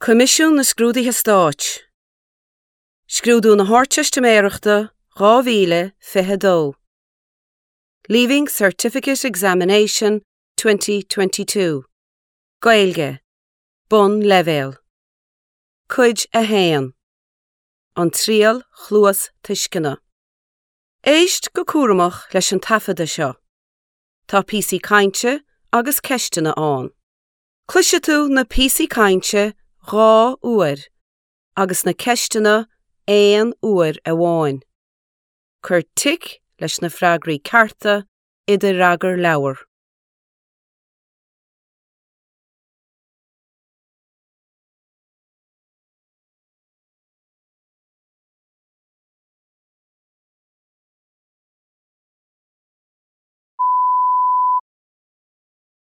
Coimisiún na Scrúduithe Stáit, Scrúdú na hArdteistiméireachta 2022, Leaving Certificate Examination 2022, Gaeilge, Bonnleibhéal. Cuid 1. An Triail Chluastuisceana. Éist go cúramach leis an taifeadadh seo. Tá píosaí cainte agus ceisteanna ann. Cloisfidh tú na píosaí cainte 2 uair agus na ceisteanna aon uair amháin. Cuir tic leis na freagraí cearta i do fhreagarleabhar.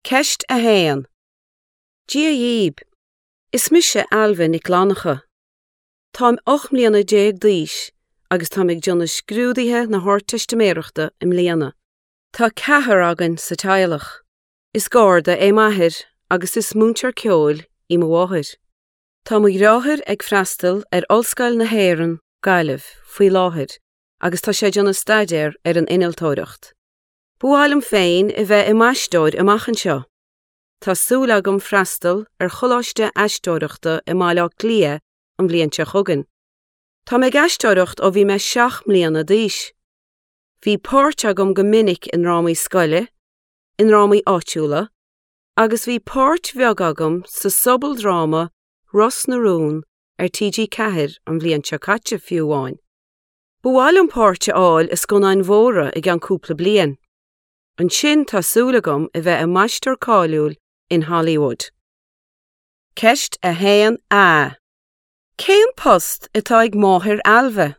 Ceist 1. Dia dhaoib! Is mise Ailbhe Nic Fhlannchadha. Táim 18 mbliana d'aois agus táim ag déanamh scrúduithe na hArdteistiméireachta i mbliana. Tá ceathrar againn sa teaghlach. Is Garda é m'athair agus is múinteoir ceoil í mo mháthair. Tá mo dheartháir ag freastal ar Ollscoil na hÉireann, Gaillimh, faoi láthair agus tá sé ag déanamh staidéar ar an innealtóireacht. Ba mhaith liom féin a bheith i m'aisteoir amach anseo. Tá súil agam freastal ar choláiste aisteoireachta i mBaile Átha Cliath an bhliain seo chugainn. Tá mé ag aisteoireacht ó bhí mé 7 mbliana d'aois. Bhí páirt agam go minic i ndrámaí scoile, i ndrámaí áitiúla agus bhí páirt bheag agam sa sobaldráma Ros na Rún ar TG4 an bhliain seo caite fiú amháin. Ba mhaith liom páirt a fháil i scannáin mhóra i gceann cúpla bliain. Ansin tá súil agam a bheith i m'aisteoir cáiliúil in Hollywood. Ceist 1A. Cén post atá ag máthair Ailbhe?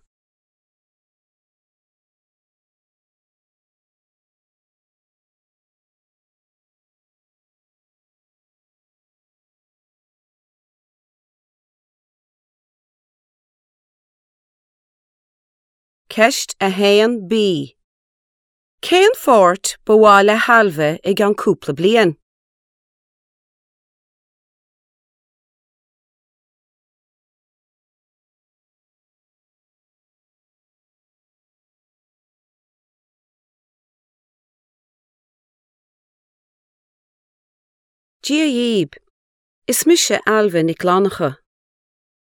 Ceist 1B. Cén pháirt ba mhaith le hAilbhe i gceann cúpla bliain? Dia dhaoib! Is mise Ailbhe Nic Fhlannchadha.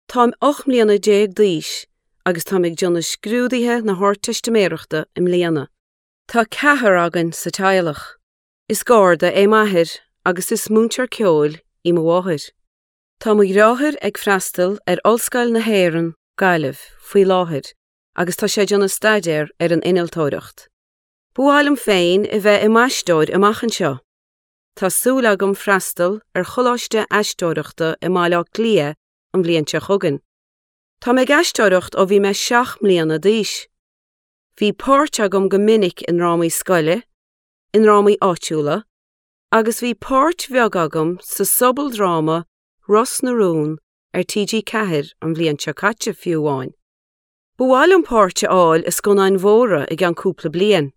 Táim 18 mbliana d'aois agus táim ag déanamh scrúduithe na hArdteistiméireachta i mbliana. Tá ceathrar againn sa teaghlach. Is Garda é m'athair agus is múinteoir ceoil í mo mháthair. Tá mo dheartháir ag freastal ar Ollscoil na hÉireann, Gaillimh, faoi láthair agus tá sé ag déanamh staidéar ar an innealtóireacht. Ba mhaith liom féin a bheith i m'aisteoir amach anseo. Tá súil agam freastal ar choláiste aisteoireachta i mBaile Átha Cliath an bhliain seo chugainn. Tá mé ag aisteoireacht ó bhí mé 7 mbliana d'aois. Bhí páirt agam go minic i ndrámaí scoile, i ndrámaí áitiúla agus bhí páirt bheag agam sa sobaldráma Ros na Rún ar TG4 an bhliain seo caite fiú amháin. Ba mhaith liom páirt a fháil i scannáin mhóra i gceann cúpla bliain.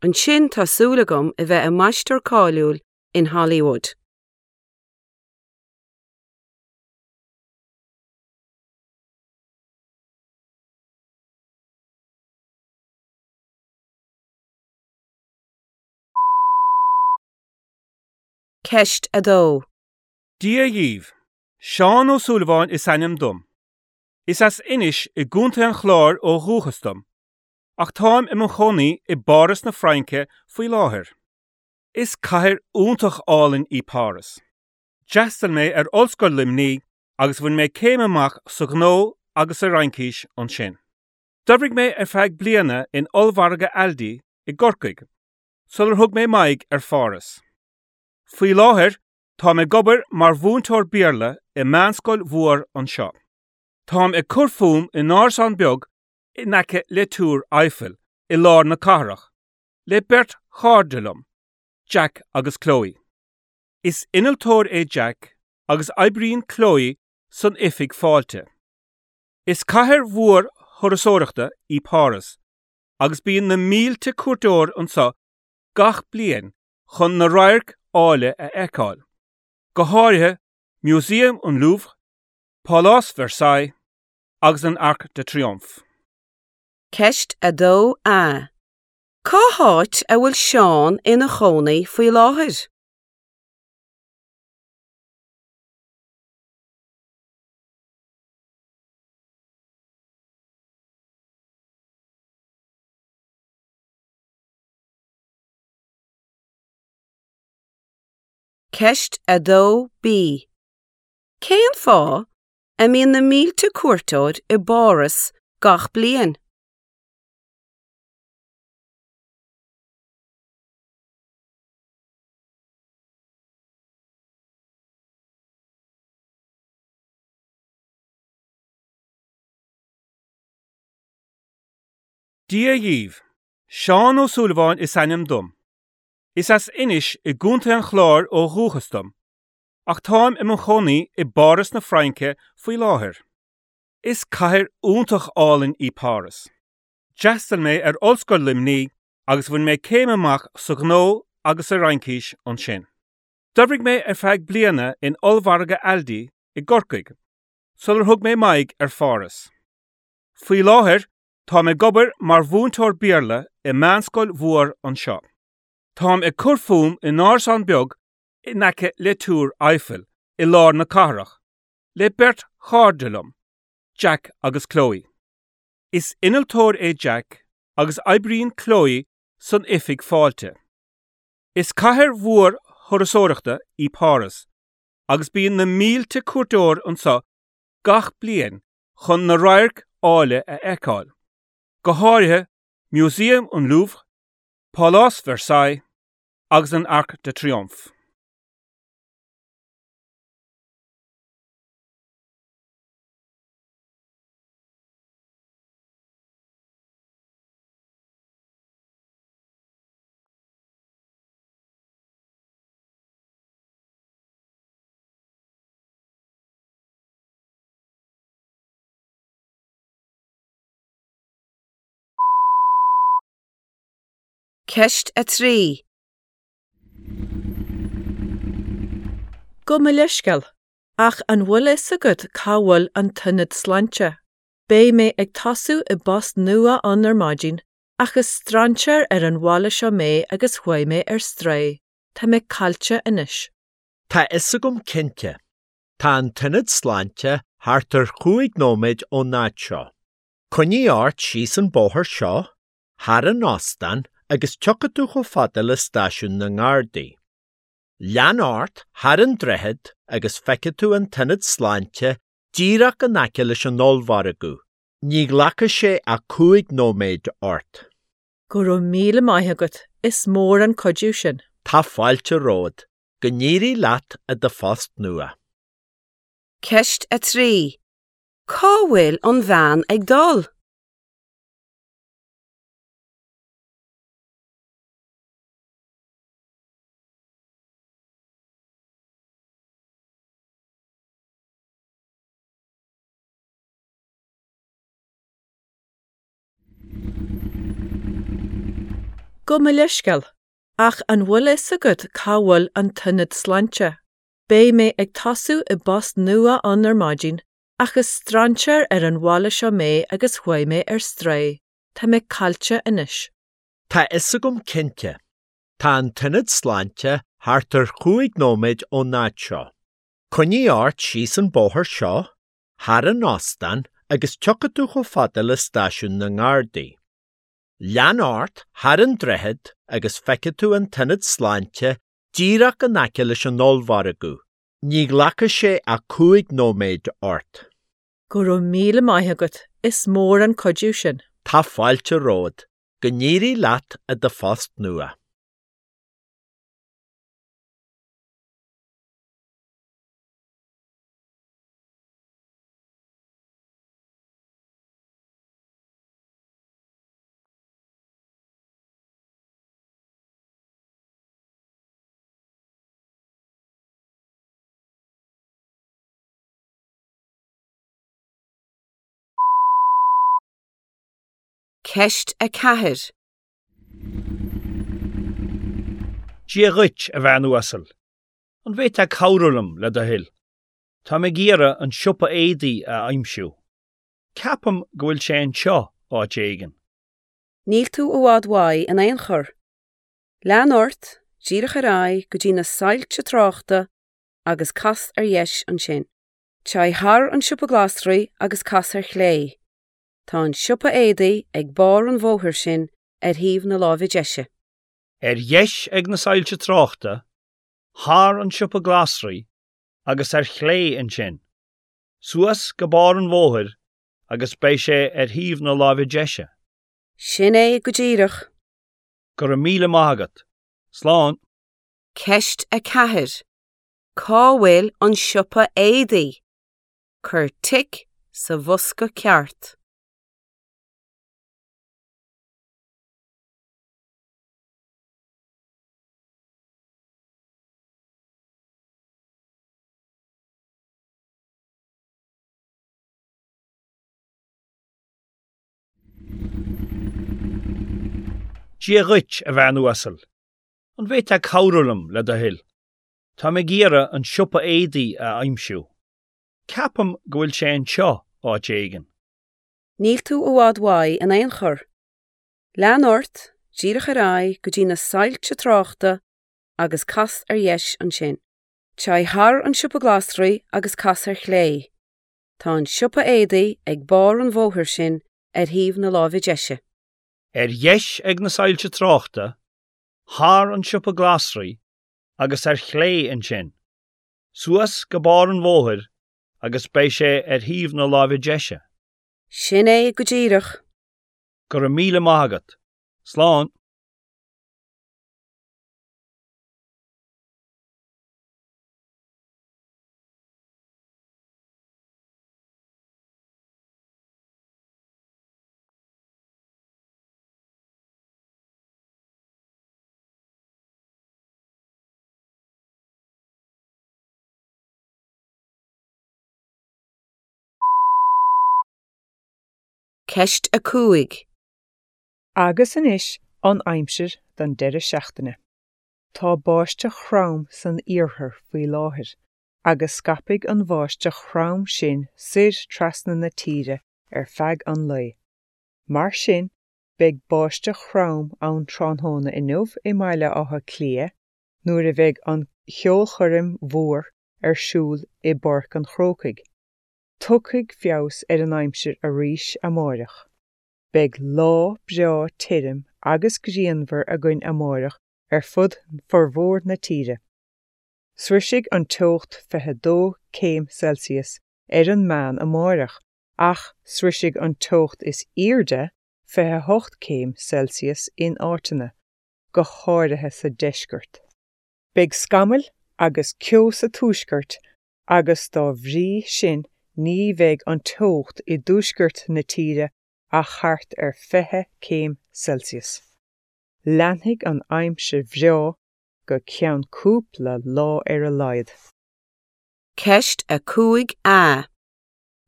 Ansin tá súil agam a bheith i m'aisteoir cáiliúil in Hollywood. Ceist 2. Dia dhaoibh. Seán Ó Súilleabháin is ainm dom. Is as Inis i gContae an Chláir ó dhúchas dom. Ach táim i mo chónaí i bPáras na Fraince faoi láthair. Is cathair iontach álainn í Páras. D'fhreastail mé ar Ollscoil Luimnigh agus bhain mé céim amach sa ghnó agus sa Fhraincis ansin. D'oibrigh mé ar feadh bliana in ollmhargadh Aldi i gCorcaigh sular thug mé m'aghaidh ar Pháras. Faoi láthair táim ag obair mar mhúinteoir Béarla i meánscoil mhór anseo. Táim ag cur fúm in árasán beag in aice le Túr Eiffel i lár na cathrach, le beirt chairde liom, Jack agus Chloe. Is innealtóir é Jack agus oibríonn Chloe san oifig fáilte. Is cathair mhór thurasóireachta í Páras agus bíonn na mílte cuairteoir anseo gach bliain chun na radhairc áille a fheiceáil, go háirithe Músaem an Louvre. Pálás Versailles agus an Arc de Triomphe. Ceist 2A. Cá háit a bhfuil Seán ina chónaí faoi láthair? Ceist 2B. Cén fáth a mbíonn na mílte cuairteoir i bPáras gach bliain? Dia dhaoibh. Seán Ó Súilleabháin is ainm dom. Is as Inis i gContae an Chláir ó dhúchas dom, ach táim i mo chónaí i bPáras na Fraince faoi láthair. Is cathair iontach álainn í Páras. D'fhreastail mé ar Ollscoil Luimnigh agus bhain mé céim amach sa ghnó agus sa Fhraincis ansin. D'oibrigh mé ar feadh bliana in ollmhargadh Aldi i gCorcaigh sular thug mé m'aghaidh ar Pháras. Faoi láthair táim ag obair mar mhúinteoir Béarla i meánscoil mhór anseo. Táim ag cur fúm in árasán beag in aice le Túr Eiffel i lár na cathrach, le beirt chairde liom, Jack agus Chloe. Is innealtóir é Jack agus oibríonn Chloe san oifig fáilte. Is cathair mhór thurasóireachta í Páras agus bíonn na mílte cuairteoir anseo gach bliain chun na radhairc áille a fheiceáil, go háirithe Músaem an Louvre, Pálás Versailles agus an Arc de Triomphe. Ceist 3. Gabh mo leithscéal, ach an bhfuil fhios agat cá bhfuil an t-ionad sláinte? Beidh mé ag tosú i bpost nua ann ar maidin, ach is strainséir ar an bhaile seo mé agus chuaigh mé ar strae. Tá mé caillte anois. Tá fhios agam cinnte. Tá an t-ionad sláinte thart ar chúig nóiméad ón áit seo. Coinnigh ort síos an bóthar seo, thar an óstán agus tiocfaidh tú chomh fada le stáisiún na nGardaí. Lean ort thar an droichead agus feicfidh tú an t-ionad sláinte díreach in aice leis an ollmhargadh, ní ghlacfaidh sé ach cúig nóiméad ort. Go raibh míle maith agat, is mór an cuidiú sin. Tá fáilte romhat, go n-éirí leat i do phost nua. Ceist 3. Cá bhfuil an bhean ag dul? Gabh mo leithscéal, ach an bhfuil fhios agat cá bhfuil an t-ionad sláinte? Beidh mé ag tosú i bpost nua ann ar maidin, ach is strainséir ar an bhaile seo mé agus chuaigh mé ar strae. Tá mé caillte anois. Tá fhios agam cinnte. Tá an t-ionad sláinte thart ar chúig nóiméad ón áit seo. Coinnigh ort síos an bóthar seo, thar an óstán agus tiocfaidh tú chomh fada le stáisiún na nGardaí. Lean ort thar an droichead agus feicfidh tú an t-ionad sláinte díreach in aice leis an ollmhargadh, ní ghlacfaidh sé ach cúig nóiméad ort. Go raibh míle maith agat, is mór an cuidiú sin. Tá fáilte romhat, go n-éirí leat i do phost nua. Ceist 4. Dia dhuit, a bhean uasal. An bhféadfá cabhrú liom, le do thoil? Táim ag iarraidh an siopa éadaí a aimsiú. Ceapaim go bhfuil sé anseo áit éigin. Níl tú i bhfad uaidh in aon chor. Lean ort, díreach ar aghaidh go dtí na soilse tráchta agus cas ar dheis ansin. Téigh thar an siopa glasraí agus cas ar chlé. Tá an siopa éadaí ag barr an bhóthair sin ar thaobh na láimhe deise. Ar dheis ag na soilse tráchta, thar an siopa glasraí agus ar chlé ansin. Suas go barr an bhóthair agus beidh sé ar thaobh na láimhe deise. Sin é go díreach. Go raibh míle maith agat. Slán. Ceist 4. Cá bhfuil an siopa éadaí? Cuir tic sa bhosca ceart. Dia dhuit, a bhean uasal. An bhféadfá cabhrú liom, le do thoil? Táim ag iarraidh an siopa éadaí a aimsiú. Ceapaim go bhfuil sé anseo áit éigin. Níl tú i bhfad uaidh in aon chor. Lean ort, díreach ar aghaidh go dtí na soilse tráchta agus cas ar dheis ansin. Téigh thar an siopa glasraí agus cas ar chlé. Tá an siopa éadaí ag barr an bhóthair sin ar thaobh na láimhe deise. Ar dheis ag na soilse tráchta, thar an siopa glasraí agus ar chlé ansin. Suas go barr an bhóthair agus beidh sé ar thaobh na láimhe deise. Sin é go díreach. Go raibh míle maith agat. Slán. Ceist 5. Agus anois an aimsir don deireadh seachtaine. Tá báisteach throm san iarthar faoi láthair agus scaipfidh an bháisteach throm sin soir trasna na tíre ar feadh an lae. Mar sin, beidh báisteach throm ann tráthnóna inniu i mBaile Átha Cliath nuair a bheidh an cheolchoirm mhór ar siúl i bPáirc an Chrócaigh. Tiocfaidh feabhas ar an aimsir arís amáireach. Beidh lá breá tirim agus grianmhar againn amáireach ar fud formhór na tíre. Sroisfidh an teocht 22 céim Celsius ar an meán amáireach ach sroisfidh an teocht is airde 28 céim Celsius in áiteanna, go háirithe sa deisceart. Beidh scamaill agus ceo sa tuaisceart agus dá bhrí sin ní bheidh an teocht i dtuaisceart na tíre ach thart ar 20 céim Celsius. Leanfaidh an aimsir bhreá go ceann cúpla lá ar a laghad. Ceist 5A.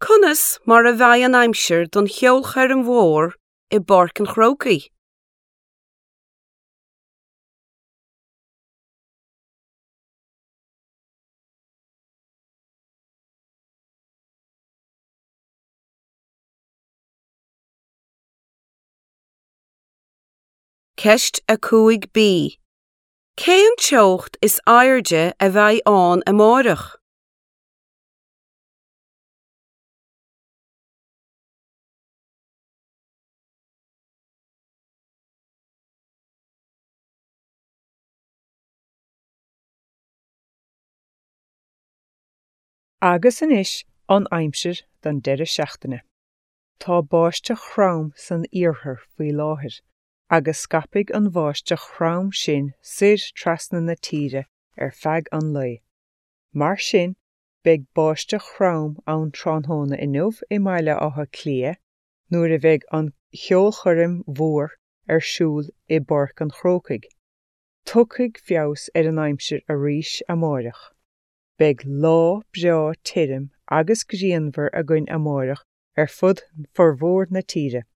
Conas mar a bheidh an aimsir don cheolchoirm mhór i bPáirc an Chrócaigh? Ceist 5B. Cén teocht is airde a bheidh ann amáireach? Agus anois an aimsir don deireadh seachtaine. Tá báisteach throm san iarthar faoi láthair agus scaipfidh an bháisteach throm sin soir trasna na tíre ar feadh an lae. Mar sin, beidh báisteach throm ann tráthnóna inniu i mBaile Átha Cliath nuair a bheidh an cheolchoirm mhór ar siúl i bPáirc an Chrócaigh. Tiocfaidh feabhas ar an aimsir arís amáireach. Beidh lá breá tirim agus grianmhar againn amáireach ar fud formhór na tíre.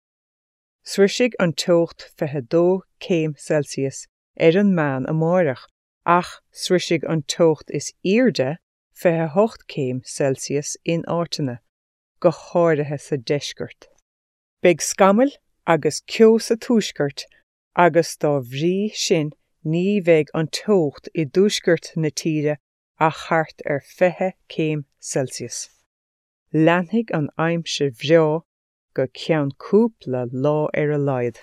Sroisfidh an teocht 22 céim Celsius ar an meán amáireach ach sroisfidh an teocht is airde 28 céim Celsius in áiteanna, go háirithe sa deisceart. Beidh scamaill agus ceo sa tuaisceart agus dá bhrí sin ní bheidh an teocht i dtuaisceart na tíre ach thart ar 20 céim Celsius. Leanfaidh an aimsir bhreá go ceann cúpla lá ar a laghad.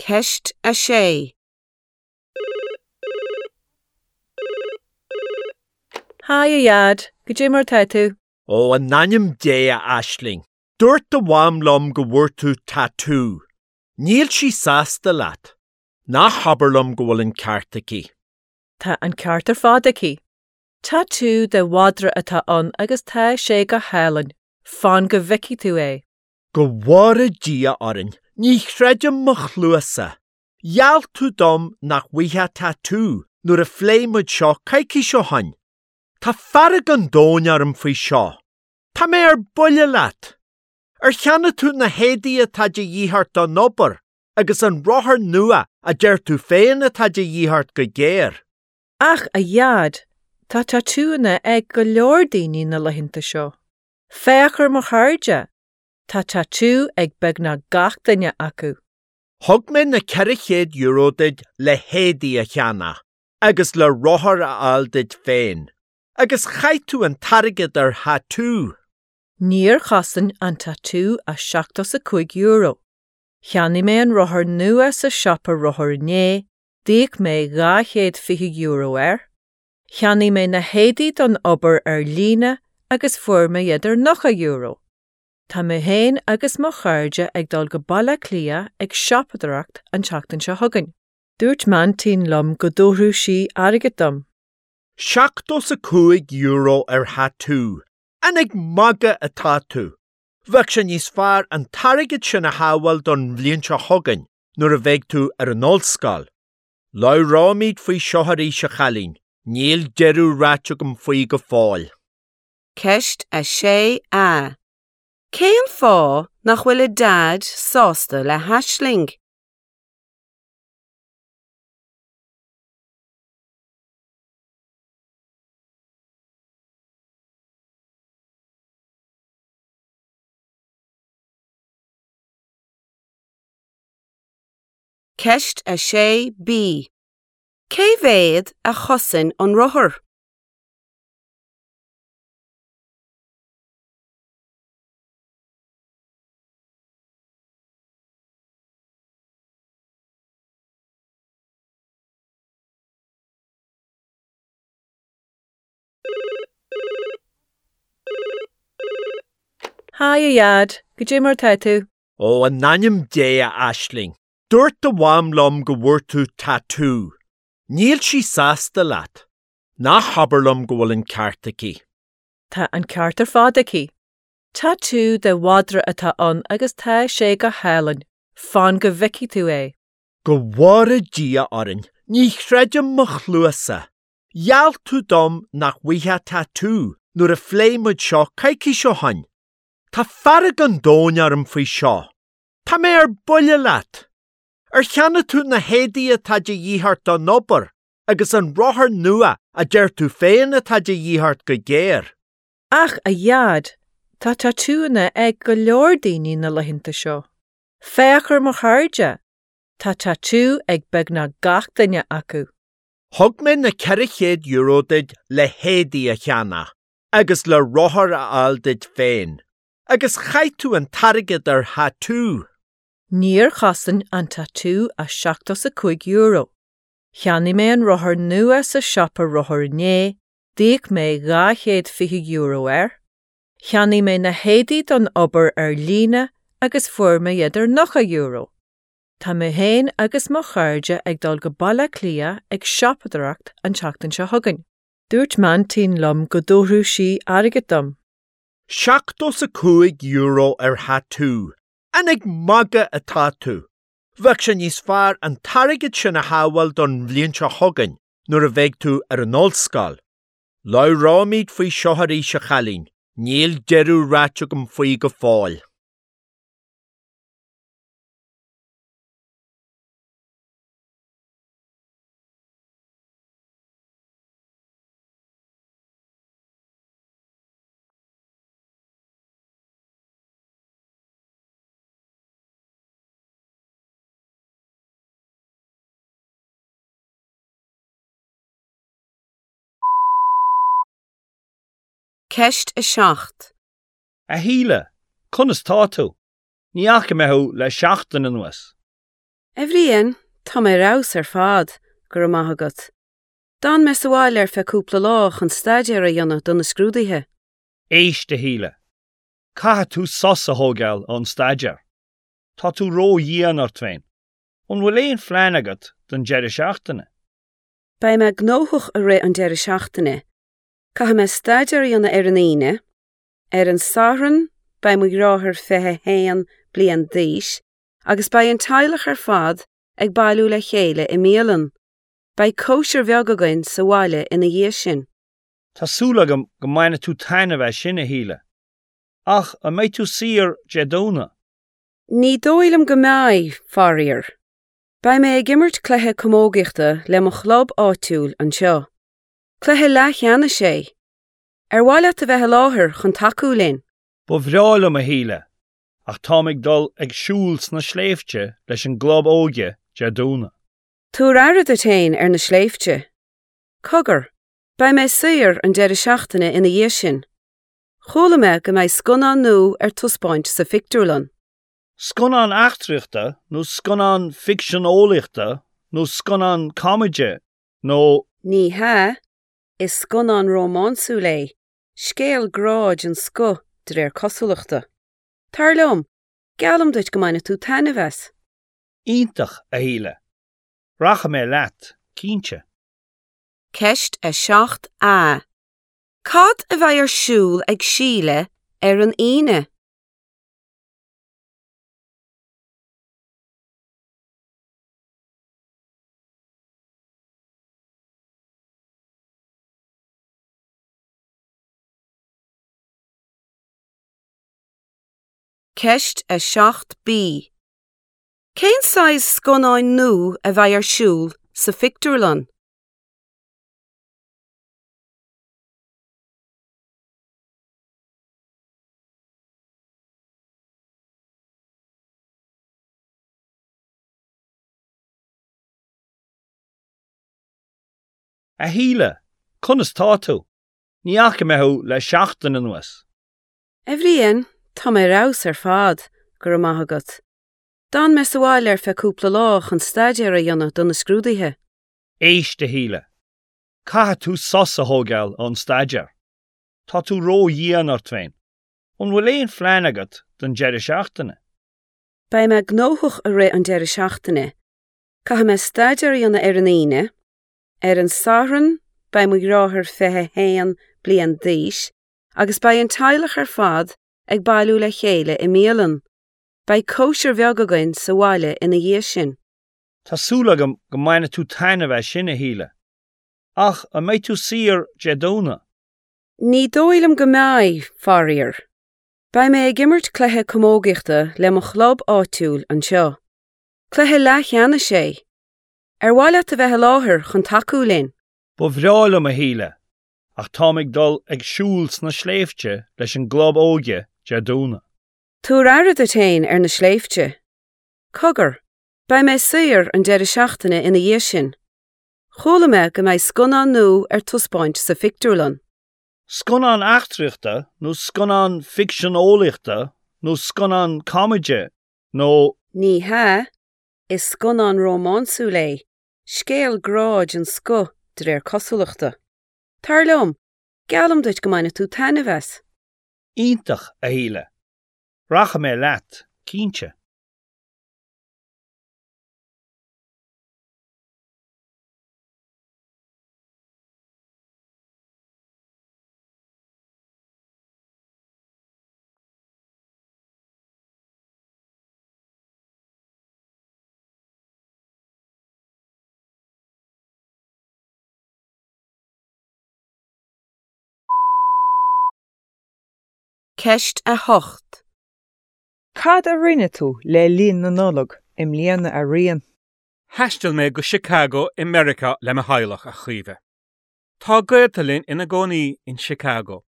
Ceist 6. Haigh a Dhaid, goidé mar tá tú? Ó, in ainm Dé, a Aisling, dúirt do mham liom go bhfuair tú tatú. Níl sí sásta leat. Ná habair liom go bhfuil an ceart aici. Tá an ceart ar fad aici. Tatú de mhadra atá ann agus tá sé go hálainn. Fan go bhfeicfidh tú é. Go bhfóire Dia orainn, ní chreidim mo chluasa! Gheall tú dom nach bhfaighfeá tatú nuair a phléigh muid seo coicís ó shoin. Tá fearg an domhain orm faoi seo. Tá mé ar buile leat! Ar cheannaigh tú na héadaí atá de dhíth ort don obair agus an rothar nua a deir tú féin atá de dhíth ort go géar? Ach, a Dhaid, tá tatúanna ag go leor daoine na laethanta seo. Féach ar mo chairde! Tá tatú ag beagnach gach duine acu. Thug mé na €400 duit le héadaí a cheannach agus le rothar a fháil duit féin, agus chaith tú an t-airgead ar thatú! Níor chosain an tatú ach €75. Cheannaigh mé an rothar nua sa siopa rothar inné, d'íoc mé €220 air. Cheannaigh mé na héadaí don obair ar líne agus fuair mé iad ar €90. Tá mé féin agus mo chairde ag dul go Baile Átha Cliath ag siopadóireacht an tseachtain seo chugainn. Dúirt m'aintín liom go dtabharfadh sí airgead dom. €75 ar thatú, An ag magadh atá tú? Bheadh sé níos fearr an t-airgead sin a shábháil don bhliain seo chugainn nuair a bheidh tú ar an ollscoil. Labhróimid faoi seo arís, a chailín, níl deireadh ráite agam faoi go fóill. Ceist 6A. Cén fáth nach bhfuil a Daid sásta le hAisling? Ceist 6B. Cé mhéad a chosain an rothar? Haigh a Dhaid, goidé mar tá tú? Ó, in ainm Dé, a Aisling, dúirt do mham liom go bhfuair tú tatú. Níl sí sásta leat. Ná habair liom go bhfuil an ceart aici. Tá an ceart ar fad aici. Tatú de mhadra atá ann agus tá sé go hálainn. Fan go bhfeicfidh tú é. Go bhfóire Dia orainn, ní chreidim mo chluasa! Gheall tú dom nach bhfaighfeá tatú nuair a phléigh muid seo coicís ó shoin. Tá fearg an domhain orm faoi seo. Tá mé ar buile leat! Ar cheannaigh tú na héadaí atá de dhíth ort don obair agus an rothar nua a deir tú féin atá de dhíth ort go géar? Ach, a Dhaid, tá tatúanna ag go leor daoine na laethanta seo. Féach ar mo chairde! Tá tatú ag beagnach gach duine acu. Thug mé na €400 duit le héadaí a cheannach agus le rothar a fháil duit féin, agus chaith tú an t-airgead ar thatú! Níor chosain an tatú ach €75. Cheannaigh mé an rothar nua sa siopa rothar inné, d'íoc mé €220 air. Cheannaigh mé na héadaí don obair ar líne agus fuair mé iad ar €90. Tá mé féin agus mo chairde ag dul go Baile Átha Cliath ag siopadóireacht an tseachtain seo chugainn. Dúirt m'aintín liom go dtabharfadh sí airgead dom. €75 ar thatú! An ag magadh atá tú? Bheadh sé níos fearr an t-airgead sin a shábháil don bhliain seo chugainn nuair a bheidh tú ar an ollscoil. Labhróimid faoi seo arís, a chailín, níl deireadh ráite agam faoi go fóill. Ceist 7. A Shíle, conas tá tú? Ní fhaca mé thú le seachtain anuas. A Bhriain, tá mé ar fheabhas ar fad, go raibh maith agat. D'fhan mé sa bhaile ar feadh cúpla lá chun staidéar a dhéanamh do na scrúduithe. Éist, a Shíle. Caithfidh tú sos a thógáil ón staidéar. Tá tú ró-dhian ort féin. An bhfuil aon phlean agat don deireadh seachtaine? Beidh mé gnóthach i rith an deireadh seachtaine. Caithfidh mé staidéar a dhéanamh ar an Aoine. Ar an Satharn beidh mo dheartháir 21 bliain d'aois agus beidh an teaghlach ar fad ag bailiú le chéile i mbialann. Beidh cóisir bheag againn sa bhaile ina dhiaidh sin. Tá súil agam go mbainfidh tú taitneamh as sin, a Shíle. Ach an mbeidh tú saor Dé Domhnaigh? Ní dóigh liom go mbeidh, faraor. Beidh mé ag imirt cluiche camógaíochta le mo chlub áitiúil anseo. Cluiche leathcheannais é. Ar mhaith leat a bheith i láthair chun tacú linn? Ba bhreá liom, a Shíle, ach táim ag dul ag siúl sna sléibhte leis an gclub óige Dé Domhnaigh. Tabhair aire duit féin ar na sléibhte. Cogar, beidh mé saor an deireadh seachtaine ina dhiaidh sin. Chuala mé go mbeidh scannán nua ar taispeáint sa phictiúrlann. Scannán eachtraíochta nó scannán ficsean eolaíochta nó scannán comedy nó. Ní hea, is scannán rómánsúil é, scéal grá den scoth de réir cosúlachta. Tar liom, geallaim duit go mbainfidh tú taitneamh as. Iontach, a Shíle. Rachaidh mé leat, cinnte. Ceist 7A. Cad a bheidh ar siúl ag Síle ar an Aoine? Ceist 7B. Cén saghas scannáin nua a bheidh ar siúl sa phictiúrlann? A Shíle, conas tá tú? Ní fhaca mé thú le seachtain anuas. A Bhriain, tá mé ar fheabhas ar fad, go raibh maith agat. D'fhan mé sa bhaile ar feadh cúpla lá chun staidéar a dhéanamh do na scrúduithe. Éist, a Shíle. Caithfidh tú sos a thógáil ón staidéar. Tá tú ró-dhian ort féin. An bhfuil aon phlean agat don deireadh seachtaine? Beidh mé gnóthach i rith an deireadh seachtaine. Caithfidh mé staidéar a dhéanamh ar an Aoine. Ar an Satharn beidh mo dheartháir 21 bliain d'aois agus beidh an teaghlach ar fad ag bailiú le chéile i mbialann. Beidh cóisir bheag againn sa bhaile ina dhiaidh sin. Tá súil agam go mbainfidh tú taitneamh as sin, a Shíle. Ach an mbeidh tú saor Dé Domhnaigh? Ní dóigh liom go mbeidh, faraor. Beidh mé ag imirt cluiche camógaíochta le mo chlub áitiúil anseo. Cluiche leathcheannais é. Ar mhaith leat a bheith i láthair chun tacú linn? Ba bhreá liom, a Shíle, ach táim ag dul ag siúl sna sléibhte leis an gclub óige Dé Domhnaigh. Tabhair aire duit féin ar na sléibhte. Cogar, beidh mé saor an deireadh seachtaine ina dhiaidh sin. Chuala mé go mbeidh scannán nua ar taispeáint sa phictiúrlann. Scannán eachtraíochta nó scannán ficsean eolaíochta nó scannán comedy nó. Ní hea, is scannán rómánsúil é, scéal grá den scoth de réir cosúlachta. Tar liom, geallaim duit go mbainfidh tú taitneamh as. Iontach, a Shíle. Rachaidh mé leat, cinnte. Ceist 8. Cad a rinne tú le linn na Nollag i mbliana a Riain? Thaistil mé go Chicago i Meiriceá le mo theaghlach, a Chaoimhe. Tá gaolta linn ina gcónaí in Chicago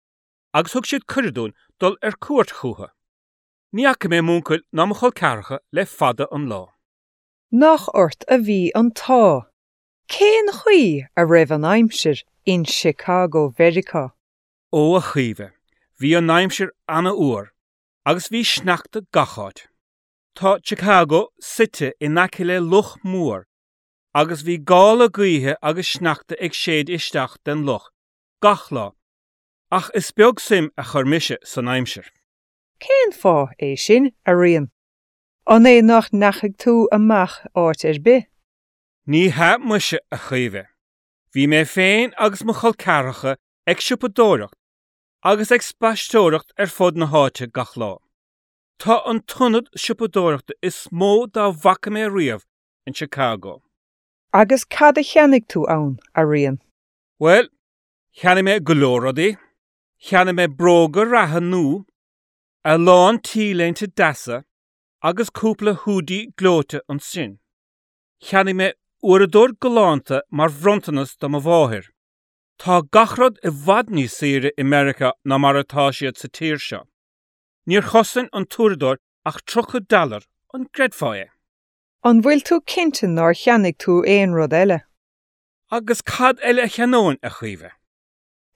agus thug siad cuireadh dúinn dul ar cuairt chucu. Ní fhaca mé m'uncail ná mo chol ceathracha le fada an lá. Nach ort a bhí an t-ádh! Cén chaoi a raibh an aimsir in Chicago Mheiriceá? Ó, a Chaoimhe, bhí an aimsir an-fhuar agus bhí sneachta gach áit. Tá Chicago suite in aice le loch mór agus bhí gála gaoithe agus sneachta ag séideadh isteach den loch gach lá, ach is beag suim a chuir mise san aimsir. Cén fáth é sin, a Riain? An é nach ndeachaigh tú amach áit ar bith? Ní hea muise, a Chaoimhe. Bhí mé féin agus mo chol ceathracha ag siopadóireacht agus ag spaisteoireacht ar fud na háite gach lá. Tá an t-ionad siopadóireachta is mó dá bhfaca mé riamh in Chicago. Agus cad a cheannaigh tú ann, a Riain? Bhuel, cheannaigh mé go leor rudaí. Cheannaigh mé bróga reatha nua, a lán t-léinte deasa agus cúpla húdaí gleoite ansin. Cheannaigh mé uaireadóir galánta mar bhronntanas do mo mháthair. Tá gach rud i bhfad níos saoire i Meiriceá ná mar atá siad sa tír seo. Níor chosain an t-uaireadóir ach 30 dollar, an gcreidfeá é? An bhfuil tú cinnte nár cheannaigh tú aon rud eile? Agus cad eile a cheannóinn, a Chaoimhe?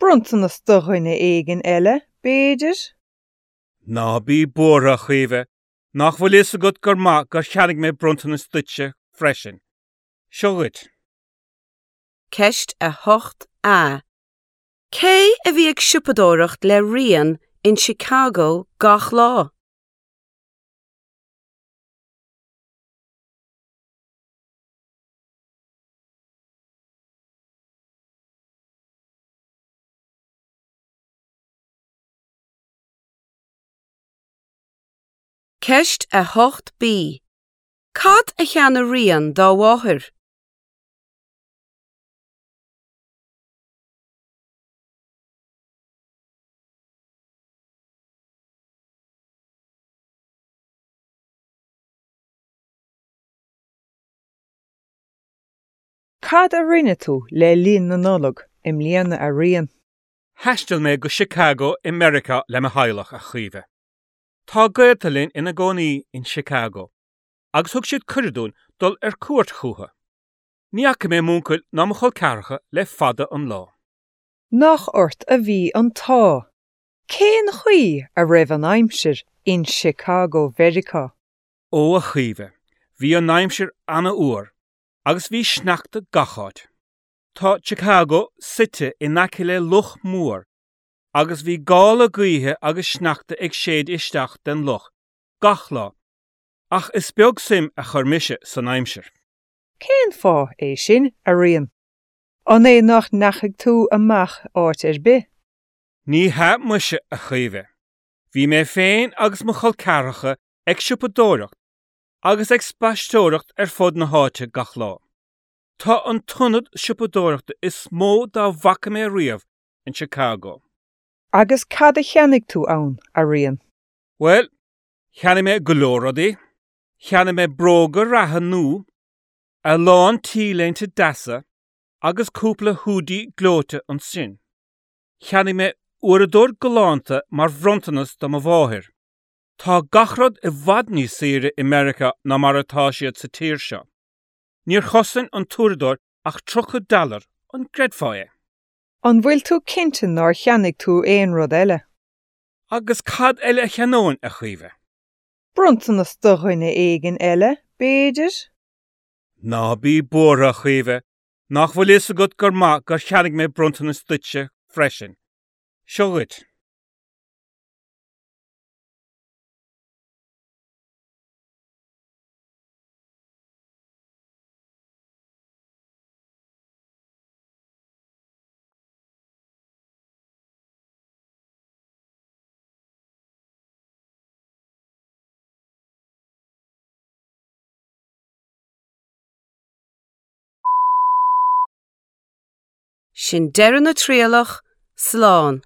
Bronntanas do dhuine éigin eile, b'fhéidir? Ná bí buartha, a Chaoimhe, nach bhfuil fhios agat gur maith gur cheannaigh mé bronntanas duitse freisin. Seo dhuit. Ceist 8A. Cé a bhí ag siopadóireacht le Rian in Chicago gach lá? Ceist 8B. Cad a cheannaigh Rian dá mháthair? Cad a rinne tú le linn na Nollag i mbliana a Riain? Thaistil mé go Chicago i Meiriceá le mo theaghlach, a Chaoimhe. Tá gaolta linn ina gcónaí in Chicago agus thug siad cuireadh dúinn dul ar cuairt chucu. Ní fhaca mé m'uncail ná mo chol ceathracha le fada an lá. Nach ort a bhí an t-ádh! Cén chaoi a raibh an aimsir in Chicago Mheiriceá? Ó, a Chaoimhe, bhí an aimsir an-fhuar agus bhí sneachta gach áit. Tá Chicago suite in aice le loch mór agus bhí gála gaoithe agus sneachta ag séideadh isteach den loch gach lá, ach is beag suim a chuir mise san aimsir. Cén fáth é sin, a Riain? An é nach ndeachaigh tú amach áit ar bith? Ní hea muise, a Chaoimhe. Bhí mé féin agus mo chol ceathracha ag siopadóireacht agus ag spaisteoireacht ar fud na háite gach lá. Tá an t-ionad siopadóireachta is mó dá bhfaca mé riamh in Chicago. Agus cad a cheannaigh tú ann, a Riain? Bhuel, cheannaigh mé go leor rudaí. Cheannaigh mé bróga reatha nua, a lán t-léinte deasa agus cúpla húdaí gleoite ansin. Cheannaigh mé uaireadóir galánta mar bhronntanas do mo mháthair. Tá gach rud i bhfad níos saoire i Meiriceá ná mar atá siad sa tír seo. Níor chosain an t-uaireadóir ach 30 dollar, an gcreidfeá é? An bhfuil tú cinnte nár cheannaigh tú aon rud eile? Agus cad eile a cheannóinn, a Chaoimhe? Bronntanas do dhuine éigin eile, b'fhéidir? Ná bí buartha, a Chaoimhe, nach bhfuil fhios agat gur maith gur cheannaigh mé bronntanas duitse freisin. Seo dhuit. Sin deireadh na trialach, slán.